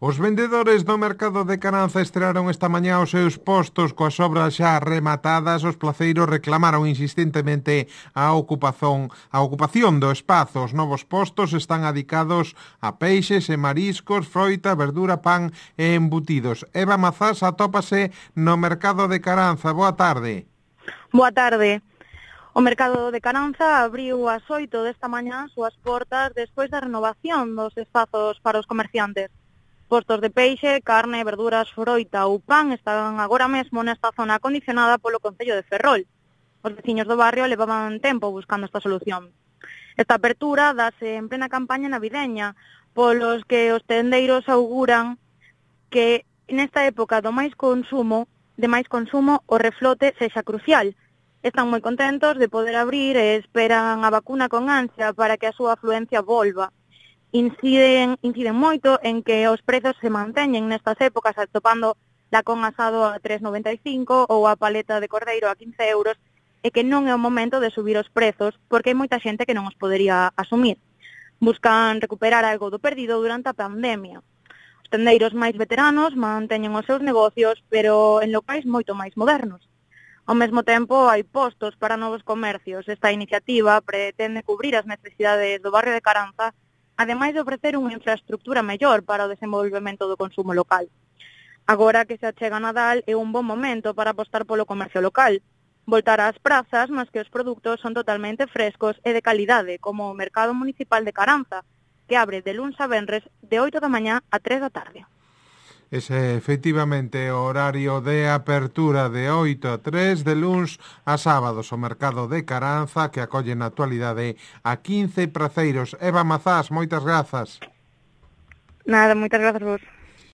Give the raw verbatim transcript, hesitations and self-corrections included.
Os vendedores do mercado de Caranza estrearon esta mañá os seus postos coas obras xa rematadas. Os placeiros reclamaron insistentemente a ocupación, a ocupación do espazo. Os novos postos están adicados a peixes e mariscos, froita, verdura, pan e embutidos. Eva Mazás atópase no mercado de Caranza. Boa tarde. Boa tarde. O mercado de Caranza abriu ás oito desta mañá as súas portas despois da renovación dos espazos para os comerciantes. Postos de peixe, carne, verduras, froita ou pan están agora mesmo nesta zona acondicionada polo Concello de Ferrol. Os veciños do barrio levaban tempo buscando esta solución. Esta apertura dase en plena campaña navideña, polos que os tendeiros auguran que nesta época do máis consumo, de máis consumo, o reflote sexa crucial. Están moi contentos de poder abrir e esperan a vacuna con ansia para que a súa afluencia volva. Inciden, inciden moito en que os prezos se manteñen nestas épocas, atopando lacón asado a tres noventa e cinco ou a paleta de cordeiro a quince euros, e que non é o momento de subir os prezos, porque hai moita xente que non os podería asumir. Buscan recuperar algo do perdido durante a pandemia. Os tendeiros máis veteranos manteñen os seus negocios, pero en locais moito máis modernos. Ao mesmo tempo, hai postos para novos comercios. Esta iniciativa pretende cubrir as necesidades do barrio de Caranza, ademais de ofrecer unha infraestructura mellor para o desenvolvemento do consumo local. Agora que se achega Nadal é un bon momento para apostar polo comercio local, voltar ás prazas nas que os produtos son totalmente frescos e de calidade, como o Mercado Municipal de Caranza, que abre de luns a venres de oito da mañá a tres da tarde. Ese, efectivamente, o horario de apertura de oito a tres, de luns a sábados, o mercado de Caranza, que acolle na actualidade a quince praceiros. Eva Mazás, moitas grazas. Nada, moitas grazas vos.